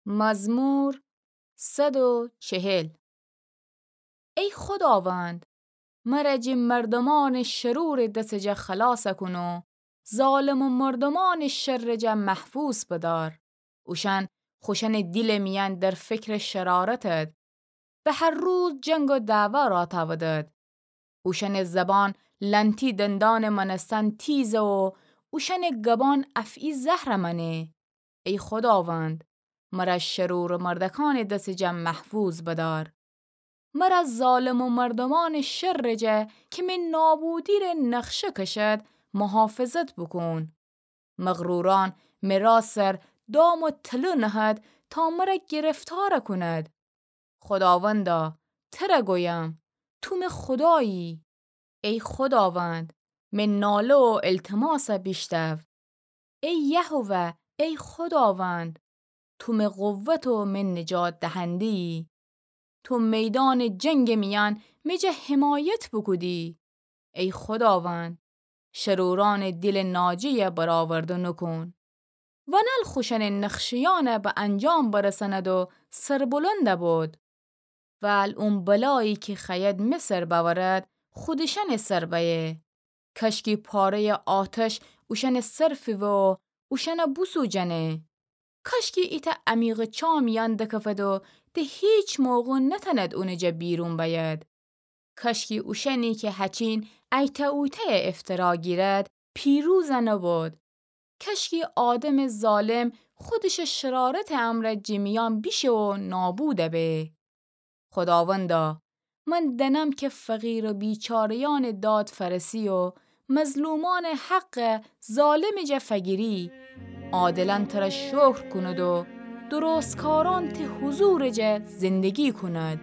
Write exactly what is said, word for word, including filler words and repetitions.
مزمور صد و چهل. ای خوداوند، مر جٚه مردومأنٚ شرورٚ دسٚ جا خلاص کون و ظالمٚ مردومأنٚ شرٚ جا محفوظ بدار. اوشأن خوشأنٚ دیلٚ میأن در فکرٚ شرارتد، به هر روز جنگ و دعوا راه تأودد. اوشأنٚ زبان لنتی دندانٚ مأنستن تیزه و اوشأنٚ گبان افعی زهرٚ مأنه. ای خوداوند، مر شرورٚ مردکأنٚ دسٚ جا محفوظ بدار. مر ظالمٚ مردومأنٚ شرٚ جا کی می نابودی ره نقشه کشد، محافظت بوکون. مغرورأن می رأ سر دام و تله نهد تا مر گرفتار کند. خوداوندا، تر گویم، تو می خودایی. ای خوداوند، می ناله و التماس بیشنو. ای یهوه، ای خوداوند، تو می قوت و می نجات دهنده‌یی. تو میدانٚ جنگٚ میأن می جا حمایت بوکودی. ای خوداوند، شرورأنٚ دیلٚ ناجه‌یه برآورده نوکون. ونل خوشأنٚ نقشه‌یأنه به انجام برسند و سربلند بود. ول اون بلایی کی خوأید می سر بأورد، خودشأنٚ سر بأیه. کاشکی پاره‌یٚ آتش اوشأنٚ سر فیوه و اوشأنه بوسوجأنه. کاشکی ایتأ عمیقٚ چا میأن دکفد و ده هیچ موقع نتأند اونٚ جا بیرون بأید. کاشکی اوشأنی کی هچین ایتأ اویتأیه افترا گیرد، پیروز نوبود. کاشکی آدمٚ ظالم خودشٚ شرارتٚ امرأ جٚه میأن بیشه و نابود به. خوداوندا، من دأنم کی فقیر و بیچاره‌یأنٚ داد فأرسی و مظلومأنٚ حقه ظالمٚ جا فگیری. عادلأن تر شکر کونید و درستکارأن تی حضورٚ جا زندگی کونید.